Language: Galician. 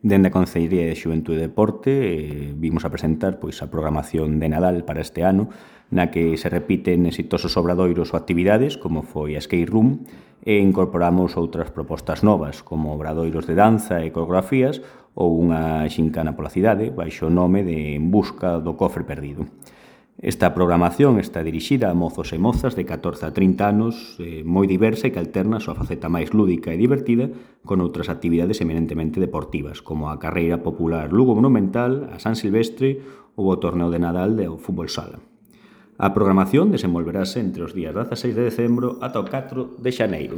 Dende a Concellería de Xuventude e Deporte vimos a presentar a programación de Nadal para este ano, na que se repiten exitosos obradoiros ou actividades, como foi a Skate Room, e incorporamos outras propostas novas, como obradoiros de danza e coreografías ou unha xincana pola cidade, baixo o nome de En busca do cofre perdido. Esta programación está dirixida a mozos e mozas de 14 a 30 anos, moi diversa e que alterna a súa faceta máis lúdica e divertida con outras actividades eminentemente deportivas, como a carreira popular Lugo Monumental, a San Silvestre ou o torneo de Nadal do fútbol sala. A programación desenvolverase entre os días 16 de decembro ata o 4 de xaneiro.